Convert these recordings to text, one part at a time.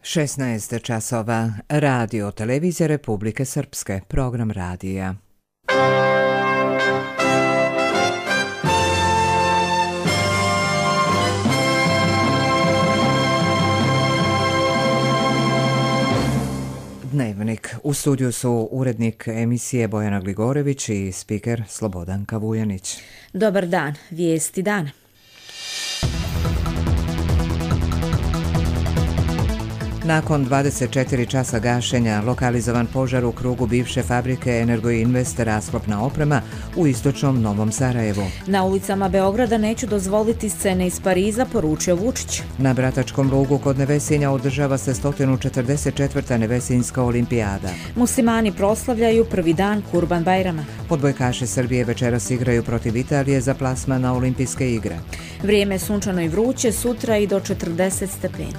16 časova. Radio Televizija Republike Srpske. Program radija. Dnevnik. U studiju su urednik emisije Bojana Gligorević i spiker Slobodan Kavujanić. Dobar dan. Vijesti dana. Nakon 24 časa gašenja, lokalizovan požar u krugu bivše fabrike Energoinvest rasklopna oprema u istočnom Novom Sarajevu. Na ulicama Beograda neću dozvoliti scene iz Pariza, poručio Vučić. Na Bratačkom lugu kod Nevesinja održava se 144. Nevesinjska olimpijada. Muslimani proslavljaju prvi dan Kurban Bajrama. Odbojkaši Srbije večeras igraju protiv Italije za plasman na olimpijske igre. Vrijeme je sunčano i vruće, sutra i do 40 stepeni.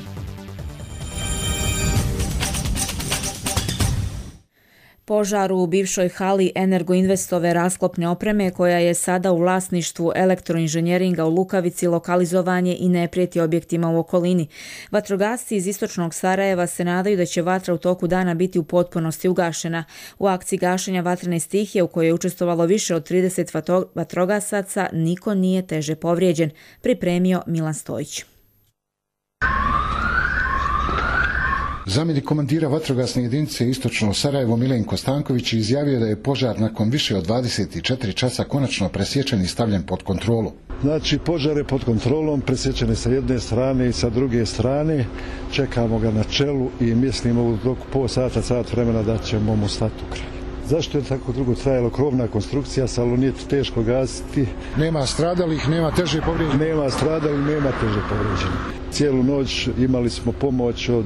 Požar u bivšoj hali Energoinvestove rasklopne opreme, koja je sada u vlasništvu elektroinženjeringa u Lukavici, lokalizovan je i ne prijeti objektima u okolini. Vatrogasci iz istočnog Sarajeva se nadaju da će vatra u toku dana biti u potpunosti ugašena. U akciji gašenja vatrene stihije, u kojoj je učestvovalo više od 30 vatrogasaca, niko nije teže povrijeđen, pripremio Milan Stojić. Zamjenik komandira vatrogasne jedinice Istočno Sarajevo Milenko Stanković izjavio da je požar nakon više od 24 časa konačno presječen i stavljen pod kontrolu. Znači, požar je pod kontrolom, presječen je sa jedne strane i sa druge strane. Čekamo ga na čelu i mislimo u toku sat vremena da ćemo mu stati u kraj. Zašto je tako dugo trajalo? Krovna konstrukcija, salonit teško gasiti. Nema stradalih, nema teže povrijeđenih. Nema stradalih, nema teže povrijeđenih. Cijelu noć imali smo pomoć od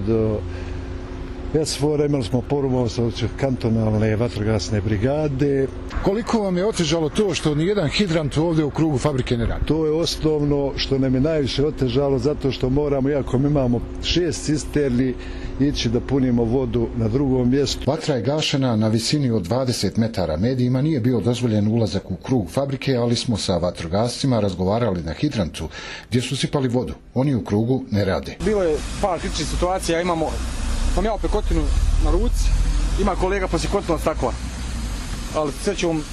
SFOR-a, imali smo pomoć od kantonalne vatrogasne brigade. Koliko vam je otežalo to što nijedan hidrant ovdje u krugu fabrike ne radi? To je osnovno što nam je najviše otežalo, zato što moramo, iako mi imamo 6 cisterni, ići da punimo vodu na drugom mjestu. Vatra je gašena na visini od 20 metara. Medijima nije bio dozvoljen ulazak u krug fabrike, ali smo sa vatrogascima razgovarali na hidrantu gdje su sipali vodu. Oni u krugu ne rade. Bilo je par kritičnih situacija, imam ja pekotinu na ruci, ima kolega poslije kotila stakla, ali srećom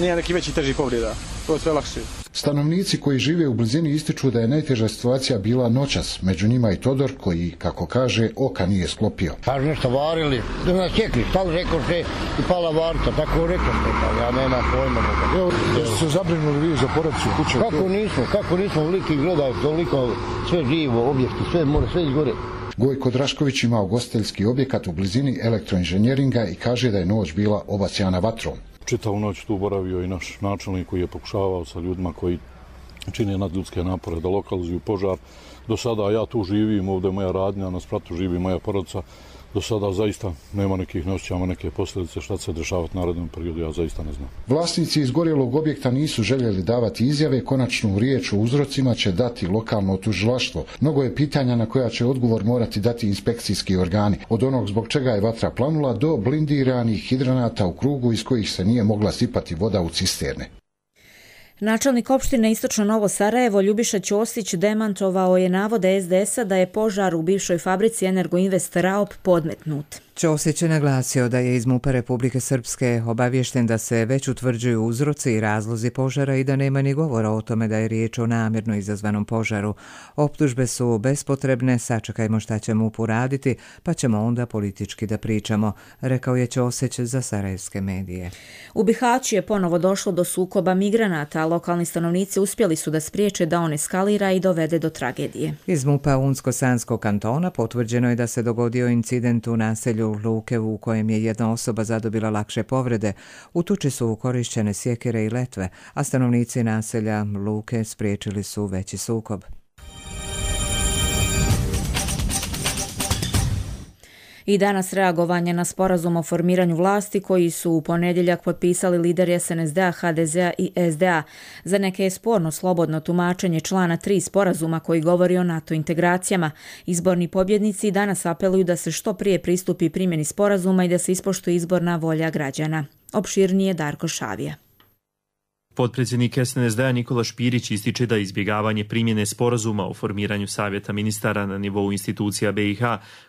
nije neki veći teži povreda, to je sve lakše. Stanovnici koji žive u blizini ističu da je najteža situacija bila noćas, među njima i Todor koji, kako kaže, oka nije sklopio. Kažu nešto varili, da nas čekli, stali rekoše i pala varta, tako rekoše, ali ja nema pojma. Evo, da ste se zabrinuli vi za porodicu kuće? Kako nismo veliki gledali, toliko sve živo, objekti, sve more, sve izgore. Gojko Drašković ima ugostiteljski objekat u blizini elektroinženjeringa i kaže da je noć bila obasjana vatrom. Čitavu noć tu boravio i naš načelnik koji je pokušavao sa ljudima koji čine nadljudske napore da lokalizuju požar. Do sada ja tu živim, ovdje je moja radnja, na spratu živi moja porodica. Do sada zaista nema nekih, ne osjećamo neke posljedice, šta će se dešavati u narednom periodu, ja zaista ne znam. Vlasnici izgorjelog objekta nisu željeli davati izjave, konačnu riječ o uzrocima će dati lokalno tužilaštvo. Mnogo je pitanja na koja će odgovor morati dati inspekcijski organi. Od onog zbog čega je vatra planula do blindiranih hidranata u krugu iz kojih se nije mogla sipati voda u cisterne. Načelnik opštine Istočno Novo Sarajevo Ljubiša Ćosić demantovao je navode SDS-a da je požar u bivšoj fabrici Energoinvest Raop podmetnut. Ćosić je naglasio da je iz MUP-a Republike Srpske obaviješten da se već utvrđuju uzroci i razlozi požara i da nema ni govora o tome da je riječ o namjerno izazvanom požaru. Optužbe su bespotrebne, sačekajmo šta će MUP uraditi, pa ćemo onda politički da pričamo, rekao je Ćosić za sarajevske medije. U Bihaću je ponovo došlo do sukoba migranata, a lokalni stanovnici uspjeli su da spriječe da on eskalira i dovede do tragedije. Iz MUP-a Unsko-Sanskog kantona potvrđeno je da se dogodio incident u naselju Lukevu u kojem je jedna osoba zadobila lakše povrede. U tuči su korišćene sjekire i letve, a stanovnici naselja Luke spriječili su veći sukob. I danas reagovanje na sporazum o formiranju vlasti koji su u ponedjeljak potpisali lideri SNSD-a, HDZ-a i SDA. Za neke je sporno slobodno tumačenje člana 3 sporazuma koji govori o NATO integracijama. Izborni pobjednici danas apeluju da se što prije pristupi primjeni sporazuma i da se ispoštuje izborna volja građana. Opširnije Darko Šavija. Potpredsjednik SNSD-a Nikola Špirić ističe da izbjegavanje primjene sporazuma o formiranju savjeta ministara na nivou institucija BiH,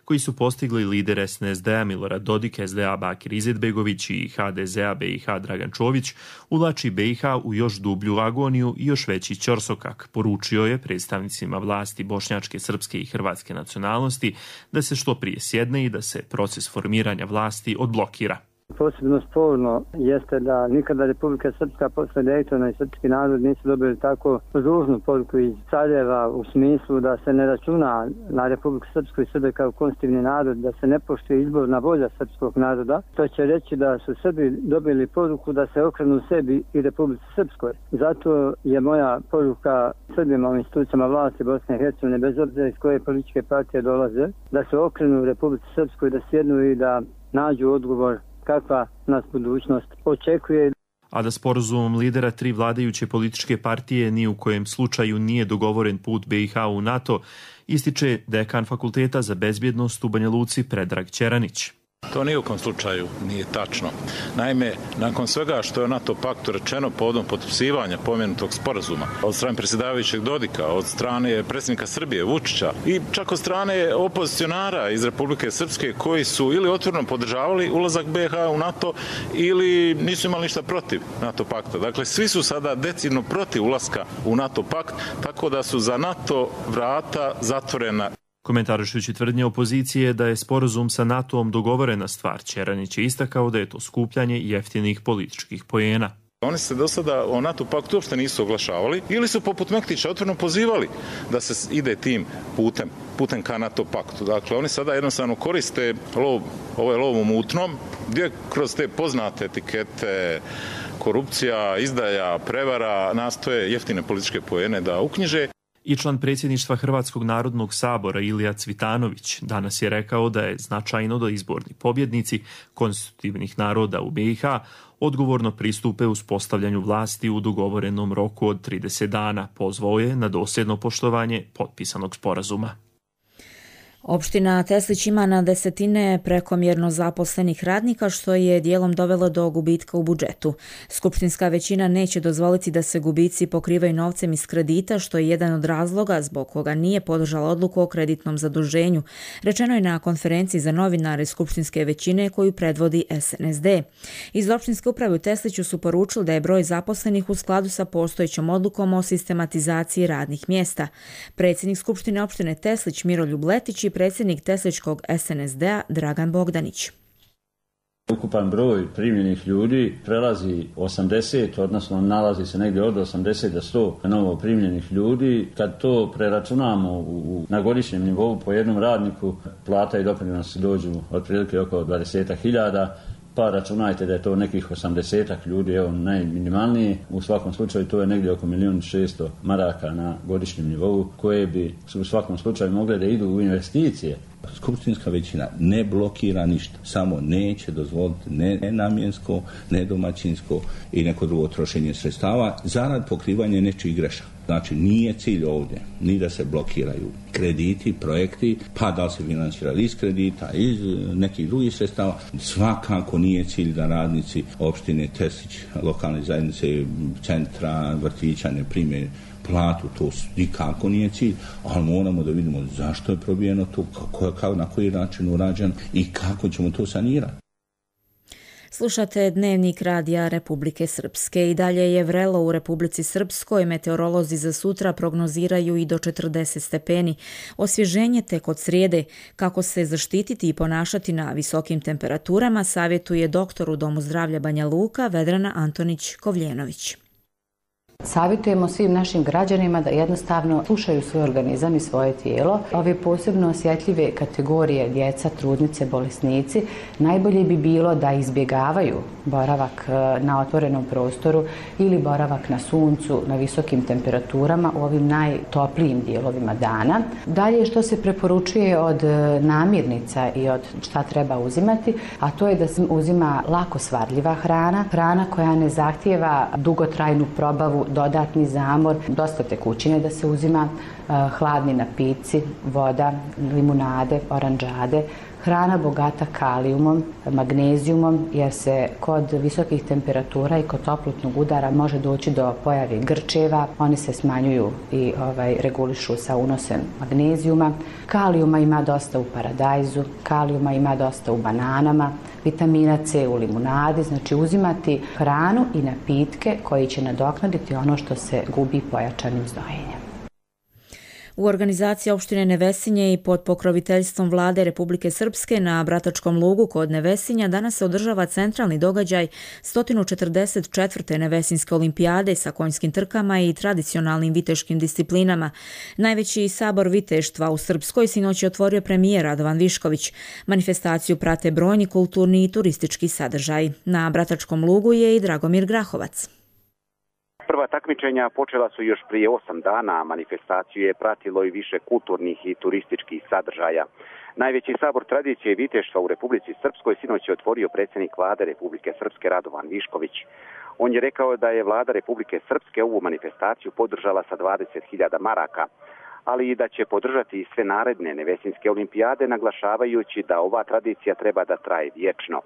koji su postigli lider SNSD-a Milorad Dodik, SDA Bakir Izetbegović i HDZ-a BiH Dragan Čović, uvlači BiH u još dublju agoniju i još veći ćorsokak, poručio je predstavnicima vlasti bošnjačke, srpske i hrvatske nacionalnosti da se što prije sjedne i da se proces formiranja vlasti odblokira. Posebno sporno jeste da nikada Republika Srpska posle Dejtona i srpski narod nisu dobili tako ružnu poruku iz Sarajeva u smislu da se ne računa na Republiku Srpsku i Srbe kao konstitutivni narod, da se ne poštuje izborna volja srpskog naroda. To će reći da su Srbi dobili poruku da se okrenu sebi i Republici Srpskoj. Zato je moja poruka Srbima u institucijama vlasti Bosne i Hercegovine, bez obzira iz koje političke partije dolaze, da se okrenu Republici Srpskoj, da sjednu i da nađu odgovor kakva nas budućnost očekuje. A da sporazumom lidera 3 vladajuće političke partije ni u kojem slučaju nije dogovoren put BiH u NATO, ističe dekan Fakulteta za bezbjednost u Banja Luci Predrag Ćeranić. To ni u kom slučaju nije tačno. Naime, nakon svega što je NATO paktu rečeno povodom potpisivanja pomenutog sporazuma od strane predsjedavajućeg Dodika, od strane predsjednika Srbije Vučića i čak od strane opozicionara iz Republike Srpske koji su ili otvoreno podržavali ulazak BiH u NATO ili nisu imali ništa protiv NATO pakta. Dakle, svi su sada decidno protiv ulaska u NATO pakt, tako da su za NATO vrata zatvorena. Komentarišući tvrdnje opozicije da je sporazum sa NATO-om dogovorena stvar, Ćeranić je istakao da je to skupljanje jeftinih političkih poena. Oni se do sada o NATO paktu uopšte nisu oglašavali ili su poput Mektića otvoreno pozivali da se ide tim putem ka NATO paktu. Dakle, oni sada jednostavno koriste ovaj lov u mutnom, gdje kroz te poznate etikete korupcija, izdaja, prevara nastoje jeftine političke poene da uknjiže. I član predsjedništva Hrvatskog narodnog sabora Ilija Cvitanović danas je rekao da je značajno da izborni pobjednici konstitutivnih naroda u BiH odgovorno pristupe uspostavljanju vlasti u dogovorenom roku od 30 dana. Pozvao je na dosljedno poštovanje potpisanog sporazuma. Opština Teslić ima na desetine prekomjerno zaposlenih radnika, što je dijelom dovelo do gubitka u budžetu. Skupštinska većina neće dozvoliti da se gubici pokrivaju novcem iz kredita, što je jedan od razloga zbog koga nije podržala odluku o kreditnom zaduženju. Rečeno je na konferenciji za novinare skupštinske većine koju predvodi SNSD. Iz opštinske uprave u Tesliću su poručili da je broj zaposlenih u skladu sa postojećom odlukom o sistematizaciji radnih mjesta. Predsjednik Skupštine opštine Teslić Miroljub Letić i predsjednik Tesličkog SNSD-a Dragan Bogdanić. Ukupan broj primljenih ljudi prelazi 80, odnosno nalazi se negdje od 80 do 100 novo primljenih ljudi. Kad to preračunamo na godišnjem nivou po jednom radniku, plata i doprinosi dođu otprilike oko 20.000, pa računajte da je to nekih 80 ljudi, evo najminimalnije. U svakom slučaju to je negdje oko 1.600.000 maraka na godišnjem nivou koje bi u svakom slučaju mogle da idu u investicije. Skupštinska većina ne blokira ništa, samo neće dozvoliti nenamjensko, nedomaćinsko i neko drugo trošenje sredstava zarad pokrivanja nečijih grešaka. Znači nije cilj ovdje ni da se blokiraju krediti, projekti, pa da li se financirali iz kredita, iz nekih drugih sredstava. Svakako nije cilj da radnici opštine Teslić, lokalne zajednice, centra, vrtića ne prime platu, to nikako nije cilj, ali moramo da vidimo zašto je probijeno to, na koji način urađeno i kako ćemo to sanirati. Slušate Dnevnik radija Republike Srpske. I dalje je vrelo u Republici Srpskoj. Meteorolozi za sutra prognoziraju i do 40 stepeni. Osvježenje tek od srijede. Kako se zaštititi i ponašati na visokim temperaturama savjetuje doktor u Domu zdravlja Banja Luka Vedrana Antonić-Kovljenović. Savjetujemo svim našim građanima da jednostavno slušaju svoj organizam i svoje tijelo. Ove posebno osjetljive kategorije djeca, trudnice, bolesnici, najbolje bi bilo da izbjegavaju boravak na otvorenom prostoru ili boravak na suncu, na visokim temperaturama u ovim najtoplijim dijelovima dana. Dalje što se preporučuje od namirnica i od šta treba uzimati, a to je da se uzima lako svardljiva hrana, hrana koja ne zahtijeva dugotrajnu probavu, dodatni zamor, dosta tekućine da se uzima, hladni napici, voda, limunade, oranđade, hrana bogata kalijumom, magnezijumom, jer se kod visokih temperatura i kod toplotnog udara može doći do pojave grčeva. Oni se smanjuju i regulišu sa unosem magnezijuma. Kalijuma ima dosta u paradajzu, kalijuma ima dosta u bananama, vitamina C u limunadi, znači uzimati hranu i napitke koji će nadoknaditi ono što se gubi pojačanim znojenjem. U organizaciji opštine Nevesinje i pod pokroviteljstvom Vlade Republike Srpske na Bratačkom lugu kod Nevesinja danas se održava centralni događaj 144. Nevesinske olimpijade sa konjskim trkama i tradicionalnim viteškim disciplinama. Najveći sabor viteštva u Srpskoj sinoć je otvorio premijer Radovan Višković. Manifestaciju prate brojni kulturni i turistički sadržaj. Na Bratačkom lugu je i Dragomir Grahovac. Prva takmičenja počela su još prije 8 dana, a manifestaciju je pratilo i više kulturnih i turističkih sadržaja. Najveći sabor tradicije i viteštva u Republici Srpskoj sinoć je otvorio predsjednik Vlade Republike Srpske Radovan Višković. On je rekao da je Vlada Republike Srpske ovu manifestaciju podržala sa 20.000 maraka, ali i da će podržati i sve naredne Nevesinske olimpijade, naglašavajući da ova tradicija treba da traje vječno.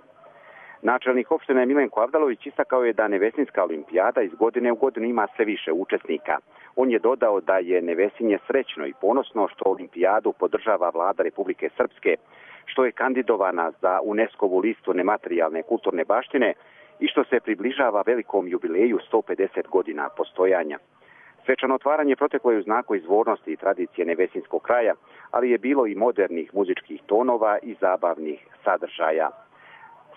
Načelnik opštine Milenko Avdalović istakao je da Nevesinska olimpijada iz godine u godinu ima sve više učesnika. On je dodao da je Nevesinje srećno i ponosno što olimpijadu podržava Vlada Republike Srpske, što je kandidovana za UNESCO-vu listu nematerijalne kulturne baštine i što se približava velikom jubileju 150 godina postojanja. Svečano otvaranje proteklo je u znaku izvornosti i tradicije Nevesinskog kraja, ali je bilo i modernih muzičkih tonova i zabavnih sadržaja.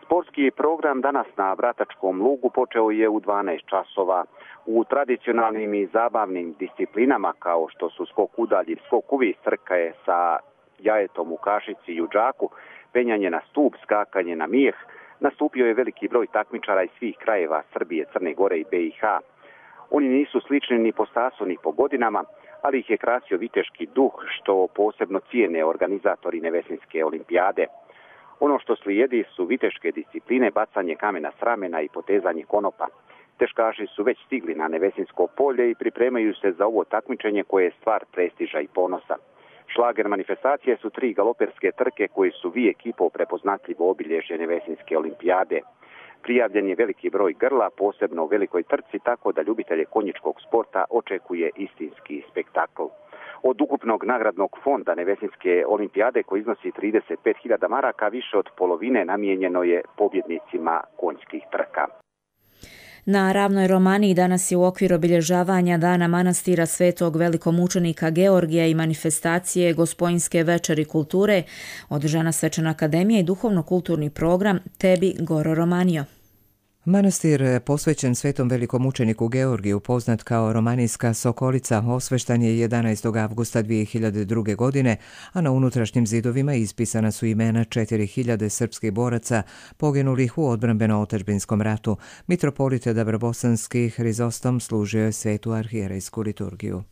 Sportski program danas na Bratačkom lugu počeo je u 12 časova. U tradicionalnim i zabavnim disciplinama kao što su skok udalji, skok uvis, trkaje sa jajetom u kašici i u džaku, penjanje na stup, skakanje na mijeh, nastupio je veliki broj takmičara iz svih krajeva Srbije, Crne Gore i BiH. Oni nisu slični ni po stasu ni po godinama, ali ih je krasio viteški duh što posebno cijene organizatori Nevesinske olimpijade. Ono što slijedi su viteške discipline, bacanje kamena s ramena i potezanje konopa. Teškaši su već stigli na Nevesinsko polje i pripremaju se za ovo takmičenje koje je stvar prestiža i ponosa. Šlager manifestacije su 3 galoperske trke koji su vijek i pol prepoznatljivo obilježje Nevesinske olimpijade. Prijavljen je veliki broj grla, posebno u velikoj trci, tako da ljubitelje konjičkog sporta očekuje istinski spektakl. Od ukupnog nagradnog fonda Nevesinske olimpijade koji iznosi 35.000 maraka, više od polovine namijenjeno je pobjednicima konjskih trka. Na Ravnoj Romaniji danas je u okviru obilježavanja Dana manastira Svetog velikomučenika Georgija i manifestacije Gospojinske večeri kulture održana svečana akademija i duhovno-kulturni program Tebi Goro Romanio. Manastir posvećen Svetom velikomučeniku Georgiju, poznat kao Romanijska Sokolica, osveštan je 11. avgusta 2002. godine, a na unutrašnjim zidovima ispisana su imena 4.000 srpskih boraca poginulih u odbrambeno-otadžbinskom ratu. Mitropolit Dabrobosanski Hrizostom služio je svetu arhijerejsku liturgiju.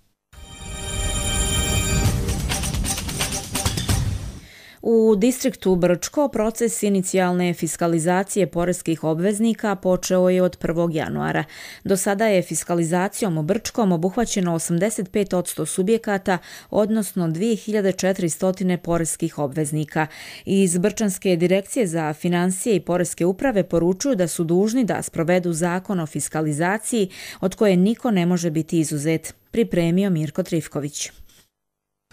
U distriktu Brčko proces inicijalne fiskalizacije poreskih obveznika počeo je od 1. januara. Do sada je fiskalizacijom u Brčkom obuhvaćeno 85% subjekata, odnosno 2400 poreskih obveznika. Iz Brčanske direkcije za financije i poreske uprave poručuju da su dužni da sprovedu zakon o fiskalizaciji od koje niko ne može biti izuzet. Pripremio Mirko Trifković.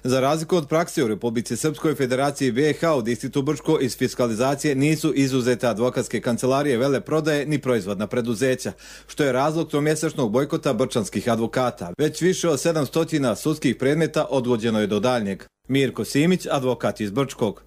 Za razliku od prakse u Republici Srpskoj, Federaciji BiH u distriktu Brčko iz fiskalizacije nisu izuzete advokatske kancelarije, veleprodaje ni proizvodna preduzeća, što je razlog tromjesečnog bojkota brčanskih advokata. Već više od 700 sudskih predmeta odgođeno je do daljnjeg. Mirko Simić, advokat iz Brčkog.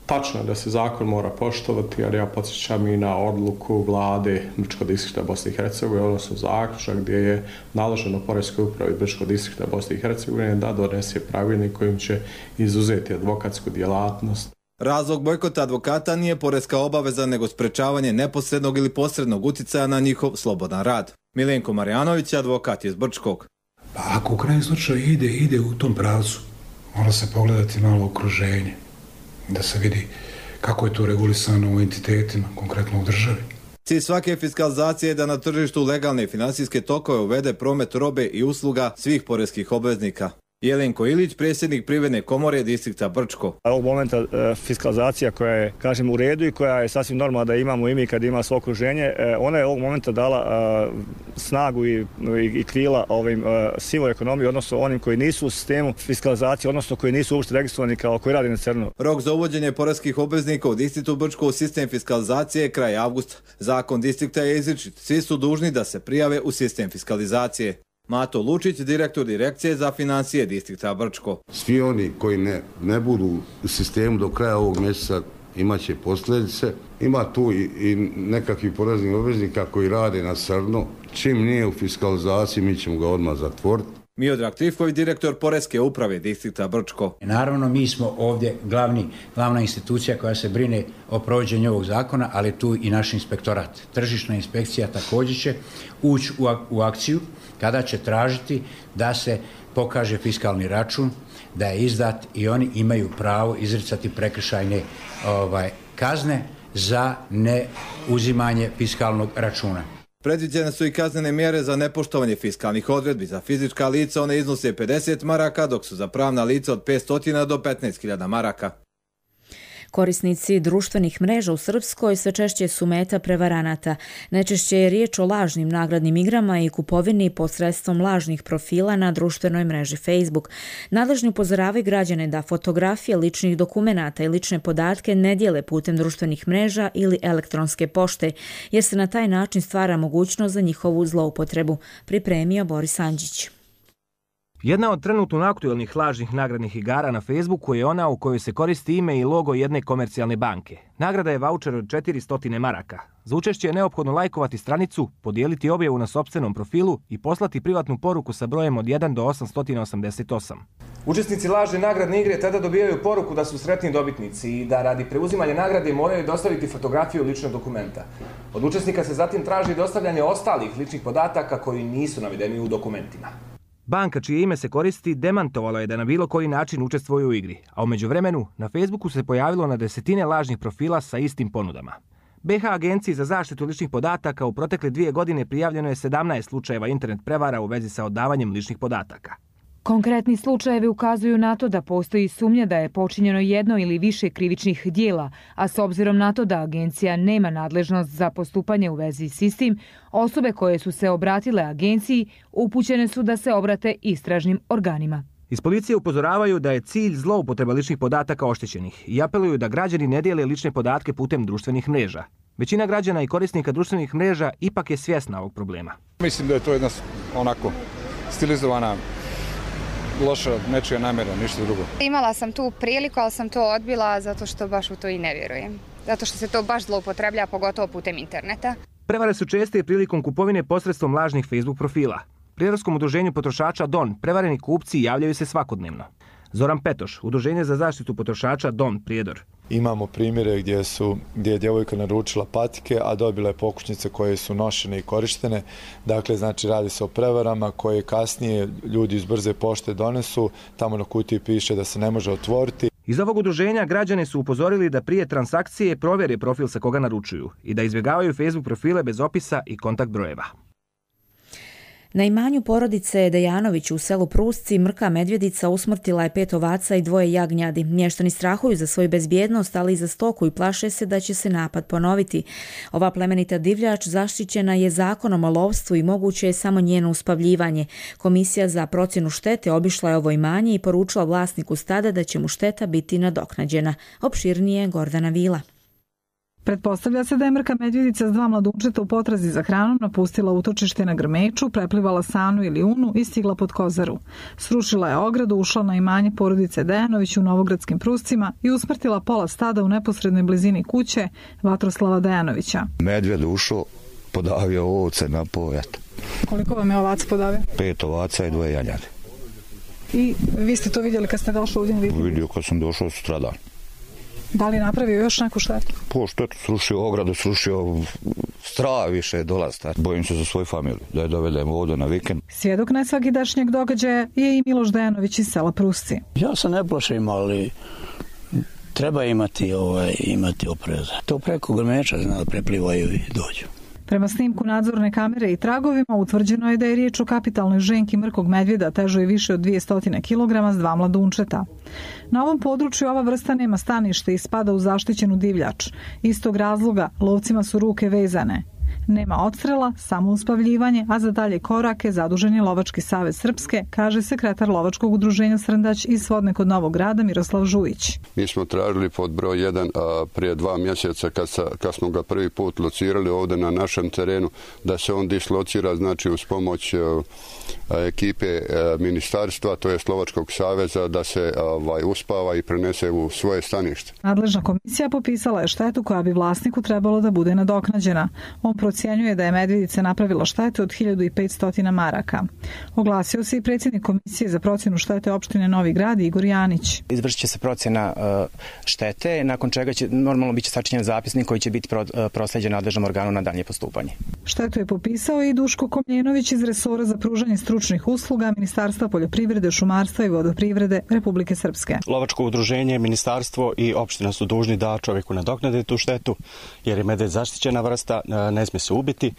Tačno je da se zakon mora poštovati, jer ja podsjećam i na odluku vlade Brčkog distrikta Bosne i Hercegovine, odnosno zaključak gdje je naloženo poreskoj upravi Brčkog distrikta Bosne i Hercegovine da donese pravilnik kojim će izuzeti advokatsku djelatnost. Razlog bojkota advokata nije poreska obaveza, nego sprečavanje neposrednog ili posrednog uticaja na njihov slobodan rad. Milenko Marjanović, advokat iz Brčkog. Pa ako u krajnjem slučaju ide u tom pravcu, mora se pogledati malo okruženje, da se vidi kako je to regulisano u entitetima, konkretno u državi. Cilj svake fiskalizacije je da na tržištu legalne finansijske tokove uvede promet robe i usluga svih poreskih obveznika. Jelenko Ilić, predsjednik Privredne komore distrikta Brčko. Ovog momenta fiskalizacija koja je, kažem, u redu i koja je sasvim normalna da imamo i mi kad ima svo okruženje, ona je ovog momenta dala snagu i krila ovim sivoj ekonomiji, odnosno onim koji nisu u sistemu fiskalizacije, odnosno koji nisu uopšte registrovani kao koji radi na crno. Rok za uvođenje poreskih obveznika u distriktu Brčko u sistem fiskalizacije je kraj avgusta. Zakon distrikta je izričit. Svi su dužni da se prijave u sistem fiskalizacije. Mato Lučić, direktor direkcije za financije distrikta Brčko. Svi oni koji ne budu u sistemu do kraja ovog mjeseca imat će posljedice. Ima tu i nekakvih poreznih obveznika koji rade na crno. Čim nije u fiskalizaciji, mi ćemo ga odmah zatvoriti. Miodrag Trifković, direktor Poreske uprave distrikta Brčko. Naravno, mi smo ovdje glavna institucija koja se brine o provođenju ovog zakona, ali tu i naš inspektorat. Tržišna inspekcija također će ući u akciju kada će tražiti da se pokaže fiskalni račun, da je izdat i oni imaju pravo izricati prekršajne kazne za neuzimanje fiskalnog računa. Predviđene su i kaznene mjere za nepoštovanje fiskalnih odredbi. Za fizička lica one iznose 50 maraka, dok su za pravna lica od 500 do 15.000 maraka. Korisnici društvenih mreža u Srpskoj sve češće su meta prevaranata. Najčešće je riječ o lažnim nagradnim igrama i kupovini posredstvom lažnih profila na društvenoj mreži Facebook. Nadležni upozoravaju građane da fotografije ličnih dokumenata i lične podatke ne dijele putem društvenih mreža ili elektronske pošte, jer se na taj način stvara mogućnost za njihovu zloupotrebu, pripremio Boris Andžić. Jedna od trenutno aktuelnih lažnih nagradnih igara na Facebooku je ona u kojoj se koristi ime i logo jedne komercijalne banke. Nagrada je vaučer od 400 maraka. Za učešće je neophodno lajkovati stranicu, podijeliti objavu na sopstvenom profilu i poslati privatnu poruku sa brojem od 1 do 888. Učesnici lažne nagradne igre tada dobijaju poruku da su sretni dobitnici i da radi preuzimanja nagrade moraju dostaviti fotografiju ličnog dokumenta. Od učesnika se zatim traži dostavljanje ostalih ličnih podataka koji nisu navedeni u dokumentima. Banka čije ime se koristi demantovala je da na bilo koji način učestvuje u igri, a u međuvremenu na Facebooku se pojavilo na desetine lažnih profila sa istim ponudama. BH Agenciji za zaštitu ličnih podataka u protekle 2 godine prijavljeno je 17 slučajeva internet prevara u vezi sa odavanjem ličnih podataka. Konkretni slučajevi ukazuju na to da postoji sumnja da je počinjeno jedno ili više krivičnih dijela, a s obzirom na to da agencija nema nadležnost za postupanje u vezi s istim, osobe koje su se obratile agenciji upućene su da se obrate istražnim organima. Iz policije upozoravaju da je cilj zloupotreba ličnih podataka oštećenih i apeluju da građani ne dijele lične podatke putem društvenih mreža. Većina građana i korisnika društvenih mreža ipak je svjesna ovog problema. Mislim da je to jedna onako stilizovana loša nečija namjera, ništa drugo. Imala sam tu priliku, ali sam to odbila zato što baš u to i ne vjerujem. Zato što se to baš zloupotreblja, pogotovo putem interneta. Prevare su česte prilikom kupovine posredstvom lažnih Facebook profila. Prijedorskom udruženju potrošača DON prevareni kupci javljaju se svakodnevno. Zoran Petoš, Udruženje za zaštitu potrošača DON Prijedor. Imamo primjere gdje je djevojka naručila patike, a dobila je pokućnice koje su nošene i korištene. Dakle, znači radi se o prevarama koje kasnije ljudi iz brze pošte donesu. Tamo na kutiji piše da se ne može otvoriti. Iz ovog udruženja građane su upozorili da prije transakcije provjere profil sa koga naručuju i da izbjegavaju Facebook profile bez opisa i kontakt brojeva. Na imanju porodice Dejanović u selu Prusci mrka medvjedica usmrtila je 5 ovaca i 2 jagnjadi. Mještani strahuju za svoju bezbjednost, ali i za stoku i plaše se da će se napad ponoviti. Ova plemenita divljač zaštićena je zakonom o lovstvu i moguće je samo njeno uspavljivanje. Komisija za procjenu štete obišla je ovo imanje i poručila vlasniku stada da će mu šteta biti nadoknađena. Opširnije Gordana Vila. Pretpostavlja se da je mrka medvjedica s 2 mladunčeta u potrazi za hranom napustila utočište na Grmeču, preplivala Sanu ili Unu i stigla pod Kozaru. Srušila je ogradu, ušla na imanje porodice Dejanović u Novogradskim Pruscima i usmrtila pola stada u neposrednoj blizini kuće Vatroslava Dejanovića. Medvjed ušao, podavio ovce na pojat. Koliko vam je ovaca podavio? 5 ovaca i 2 jagnjade. I vi ste to vidjeli kad ste došli ovdje? Vidio kad sam došao sutradan. Da li napravio još neku štetu? Po štetu, srušio ogradu, srušio strah više dolazta. Bojim se za svoju familiju, da je dovedemo ovdje na vikend. Svjedok najsvakidašnjeg događaja je i Miloš Dejanović iz sela Prusci. Ja se ne plašim, ali treba imati opreza. To preko Grmeča zna da preplivaju i dođu. Prema snimku nadzorne kamere i tragovima utvrđeno je da je riječ o kapitalnoj ženki mrkog medvjeda težoj više od 200 kg s 2 mladunčeta. Na ovom području ova vrsta nema stanište i spada u zaštićenu divljač. Istog razloga lovcima su ruke vezane. Nema odstrela, samo uspavljivanje, a za dalje korake zadužen je Lovački savez Srpske, kaže sekretar Lovačkog udruženja Srndać iz Svodne kod Novog Grada Miroslav Žujić. Mi smo tražili pod broj 1 prije 2 mjeseca kad smo ga prvi put locirali ovdje na našem terenu, da se on dislocira, znači uz pomoć ekipe ministarstva, to je Lovačkog saveza, da se uspava i prenese u svoje stanište. Nadležna komisija popisala je štetu koja bi vlasniku trebalo da bude nadoknađena. On procjenjuje da je medvjedica napravila štetu od 1500 maraka. Oglasio se i predsjednik Komisije za procjenu štete opštine Novi Grad Igor Janić. Izvršit će se procjena štete, nakon čega će normalno biti sačinjen zapisnik koji će biti proslijeđen nadležnom organu na dalje postupanje. Štetu je popisao i Duško Komljenović iz resora za pružanje stručnih usluga Ministarstva poljoprivrede, šumarstva i vodoprivrede Republike Srpske. Lovačko udruženje, ministarstvo i opština su dužni da čovjeku nadoknade tu štetu, jer je medvjed zaštićena vrsta, ne smije se ubiti.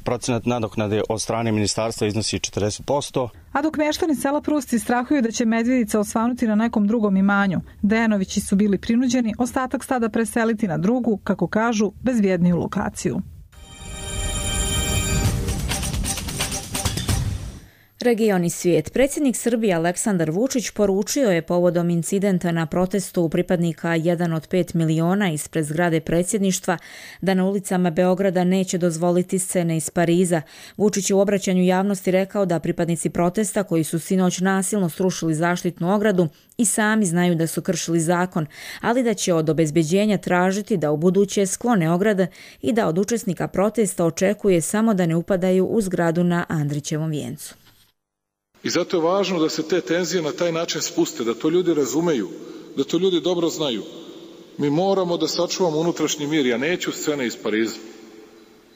Procenat nadoknade od strane ministarstva iznosi 40%. A dok mještani sela Prusti strahuju da će medvjedica osvanuti na nekom drugom imanju, Dejanovići su bili prinuđeni ostatak stada preseliti na drugu, kako kažu, bezbjedniju lokaciju. Region i svijet. Predsjednik Srbije Aleksandar Vučić poručio je povodom incidenta na protestu pripadnika 1 od 5 miliona ispred zgrade predsjedništva da na ulicama Beograda neće dozvoliti scene iz Pariza. Vučić je u obraćanju javnosti rekao da pripadnici protesta koji su sinoć nasilno srušili zaštitnu ogradu i sami znaju da su kršili zakon, ali da će od obezbeđenja tražiti da ubuduće sklone ograde i da od učesnika protesta očekuje samo da ne upadaju u zgradu na Andrićevom vijencu. I zato je važno da se te tenzije na taj način spuste, da to ljudi razumeju, da to ljudi dobro znaju. Mi moramo da sačuvamo unutrašnji mir. Ja neću scene iz Pariza.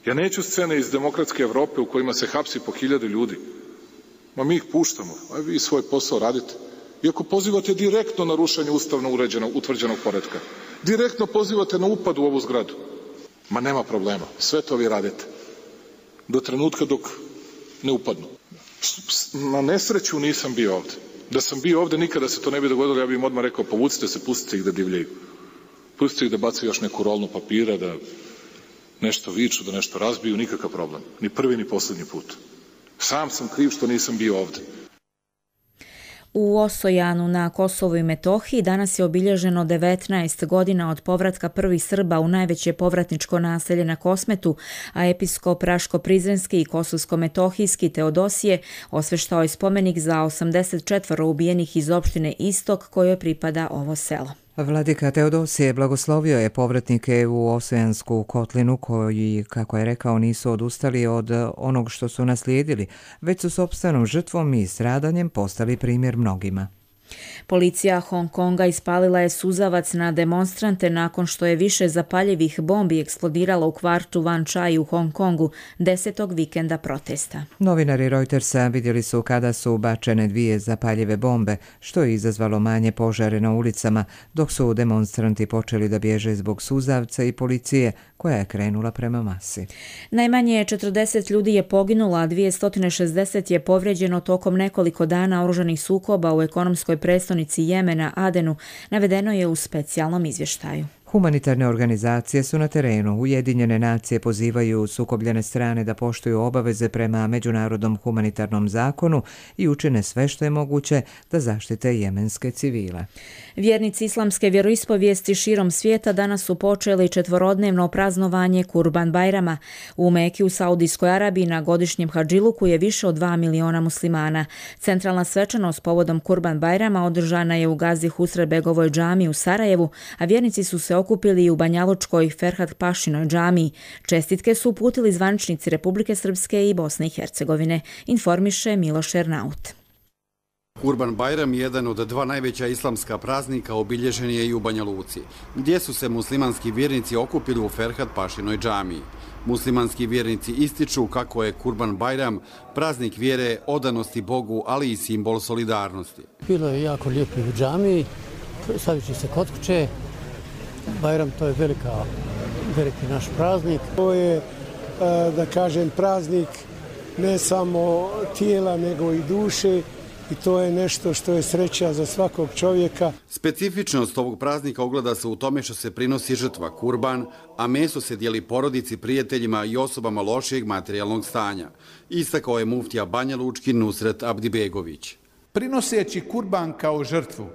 Ja neću scene iz demokratske Evrope u kojima se hapsi po 1000 ljudi. Ma mi ih puštamo, a vi svoj posao radite. Iako pozivate direktno na rušenje ustavno utvrđenog poretka. Direktno pozivate na upad u ovu zgradu. Ma nema problema, sve to vi radite. Do trenutka dok ne upadnu. Na nesreću nisam bio ovdje. Da sam bio ovdje, nikada se to ne bi dogodilo, ja bih im odmah rekao, povucite se, pustite ih da divljaju. Pustite ih da bacaju još neku rolnu papira, da nešto viču, da nešto razbiju, nikakav problem. Ni prvi, ni posljednji put. Sam sam kriv što nisam bio ovdje. U Osojanu na Kosovu i Metohiji danas je obilježeno 19 godina od povratka prvih Srba u najveće povratničko naselje na Kosmetu, a episkop Raško-Prizrenski i Kosovsko-Metohijski Teodosije osveštao je spomenik za 84 ubijenih iz opštine Istok kojoj pripada ovo selo. Vladika Teodosije blagoslovio je povratnike u Osojansku kotlinu koji, kako je rekao, nisu odustali od onog što su naslijedili, već su sopstvenom žrtvom i stradanjem postali primjer mnogima. Policija Hong Konga ispalila je suzavac na demonstrante nakon što je više zapaljivih bombi eksplodiralo u kvartu Wan Chai u Hong Kongu 10. vikenda protesta. Novinari Reutersa vidjeli su kada su bačene 2 zapaljive bombe, što je izazvalo manje požare na ulicama, dok su demonstranti počeli da bježe zbog suzavca i policije koja je krenula prema masi. Najmanje 40 ljudi je poginulo, a 260 je povrijeđeno tokom nekoliko dana oružanih sukoba u ekonomskoj prestonici Jemena, Adenu, navedeno je u specijalnom izvještaju. Humanitarne organizacije su na terenu. Ujedinjene nacije pozivaju sukobljene strane da poštuju obaveze prema međunarodnom humanitarnom zakonu i učine sve što je moguće da zaštite jemenske civile. Vjernici islamske vjeroispovijesti širom svijeta danas su počeli 4-dnevno praznovanje Kurban Bajrama. U Meki u Saudijskoj Arabiji na godišnjem hadžiluku je više od 2 miliona muslimana. Centralna svečanost povodom Kurban Bajrama održana je u Gazi Husrebegovoj džamiji u Sarajevu, a vjernici su se okupili i u Banjalučkoj Ferhat Pašinoj džamiji. Čestitke su uputili zvaničnici Republike Srpske i Bosne i Hercegovine, informiše Miloš Ernaut. Kurban Bajram, jedan od 2 najveća islamska praznika, obilježen je i u Banja Luci, gdje su se muslimanski vjernici okupili u Ferhat Pašinoj džamiji. Muslimanski vjernici ističu kako je Kurban Bajram praznik vjere, odanosti Bogu, ali i simbol solidarnosti. Bilo je jako lijepo u džamiji, stavit će se kod kuće. Bajram, to je veliki naš praznik. To je, da kažem, praznik ne samo tijela, nego i duše. I to je nešto što je sreća za svakog čovjeka. Specifičnost ovog praznika ogleda se u tome što se prinosi žrtva kurban, a meso se dijeli porodici, prijateljima i osobama lošijeg materijalnog stanja. Istakao je muftija Banja Lučki Nusret Abdibegović. Prinoseći kurban kao žrtvu,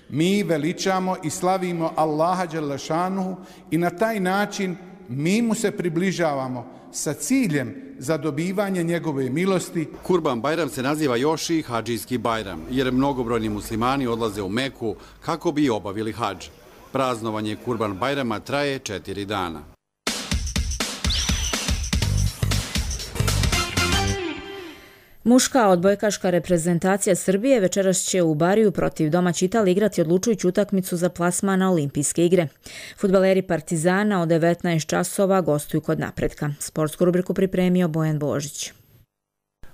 mi veličamo i slavimo Allaha dželešanuhu i na taj način mi mu se približavamo sa ciljem za dobivanje njegove milosti. Kurban Bajram se naziva još i hadžijski Bajram, jer mnogobrojni muslimani odlaze u Meku kako bi obavili hadž. Praznovanje Kurban Bajrama traje 4 dana. Muška odbojkaška reprezentacija Srbije večeras će u Bariju protiv domaće Italije igrati odlučujuću utakmicu za plasman na Olimpijske igre. Fudbaleri Partizana od 19 časova gostuju kod Napretka. Sportsku rubriku pripremio Bojan Božić.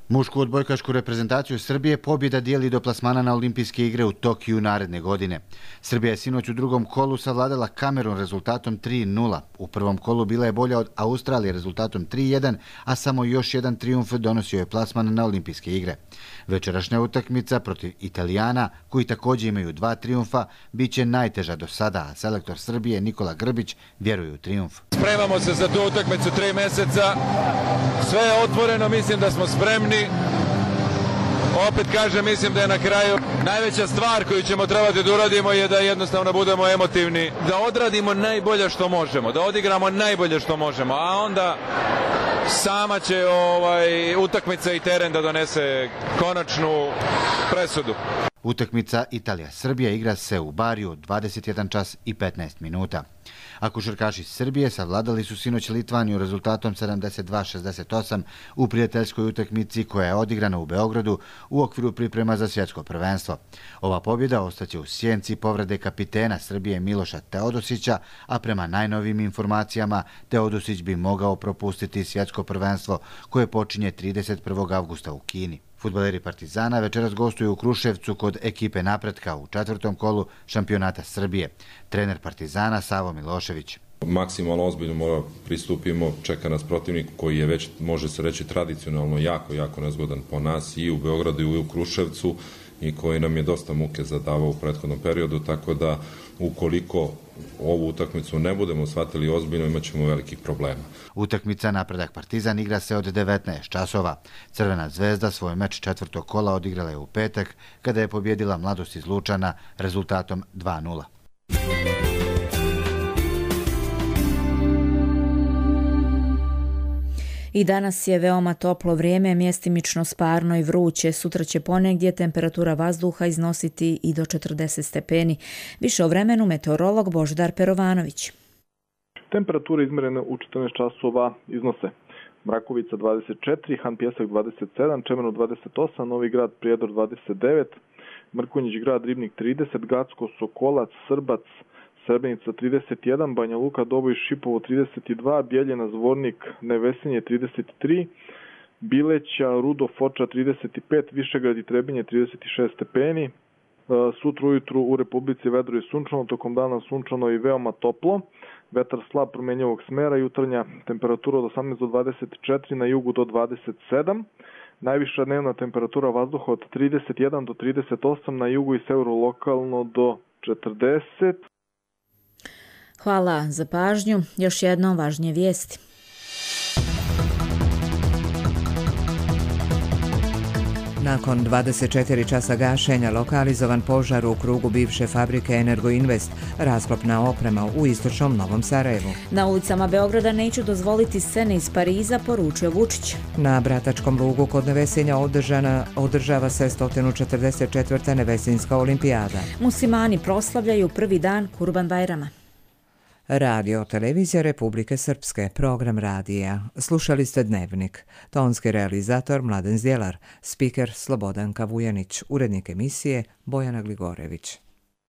Mušku odbojkašku reprezentaciju Srbije pobjeda dijeli do plasmana na Olimpijske igre u Tokiju naredne godine. Srbija je sinoć u drugom kolu savladala Kamerun rezultatom 3-0. U prvom kolu bila je bolja od Australije rezultatom 3-1, a samo još jedan trijumf donosio je plasman na Olimpijske igre. Večerašnja utakmica protiv Italijana, koji također imaju 2 trijumfa, bit će najteža do sada, a selektor Srbije Nikola Grbić vjeruje u trijumf. Spremamo se za tu utakmicu 3 mjeseca, sve je otvoreno, mislim da smo spremni. Opet kažem, mislim da je na kraju najveća stvar koju ćemo trebati da uradimo je da jednostavno budemo emotivni, da odradimo najbolje što možemo, da odigramo najbolje što možemo, a onda sama će utakmica i teren da donese konačnu presudu. Utakmica Italija-Srbija igra se u Bariju 21 čas i 15 minuta. A košarkaši Srbije savladali su sinoć Litvaniju rezultatom 72-68 u prijateljskoj utakmici koja je odigrana u Beogradu u okviru priprema za svjetsko prvenstvo. Ova pobjeda ostaće u sjenci povrede kapitena Srbije Miloša Teodosića, a prema najnovim informacijama Teodosić bi mogao propustiti svjetsko prvenstvo koje počinje 31. avgusta u Kini. Fudbaleri Partizana večeras gostuju u Kruševcu kod ekipe Napretka u 4. kolu šampionata Srbije. Trener Partizana Savo Milošević. Maksimalno ozbiljno pristupimo, čeka nas protivnik koji je već, može se reći, tradicionalno jako nezgodan po nas i u Beogradu i u Kruševcu i koji nam je dosta muke zadavao u prethodnom periodu, tako da ukoliko ovu utakmicu ne budemo shvatili ozbiljno, imat ćemo velikih problema. Utakmica Napredak Partizan igra se od 19 časova. Crvena zvezda svoj meč 4. kola odigrala je u petak kada je pobjedila Mladost iz Lučana rezultatom 2-0. I danas je veoma toplo vrijeme, mjestimično sparno i vruće. Sutra će ponegdje temperatura vazduha iznositi i do 40 stepeni. Više o vremenu meteorolog Božidar Perovanović. Temperature izmjerene u 14 časova iznose Mrakovica 24, Han Pjesak 27, Čemerno 28, Novi Grad Prijedor 29, Mrkonjić Grad Ribnik 30, Gacko, Sokolac, Srbac, Srebrenica 31, Banja Luka, Doboj, Šipovo 32, Bjeljina, Zvornik, Nevesinje 33, Bileća, Rudo, Foča 35, Višegrad i Trebinje 36 stepeni. Sutra ujutru u Republici vedro i sunčano, tokom dana sunčano i veoma toplo. Vetar slab promenjivog smera, jutarnja temperatura od 18 do 24, na jugu do 27. Najviša dnevna temperatura vazduha od 31 do 38, na jugu i severu lokalno do 40. Hvala za pažnju. Još jednom važnije vijesti. Nakon 24 časa gašenja lokalizovan požar u krugu bivše fabrike Energoinvest, rasklopna oprema u istočnom Novom Sarajevu. Na ulicama Beograda neću dozvoliti scene iz Pariza, poručio Vučić. Na Bratačkom lugu kod Nevesinja održava se 144. Nevesinjska olimpijada. Muslimani proslavljaju prvi dan Kurban Bajrama. Radio Televizija Republike Srpske, program radija. Slušali ste Dnevnik. Tonski realizator Mladen Zdjelar, spiker Slobodanka Vujanić, urednik emisije Bojana Gligorević.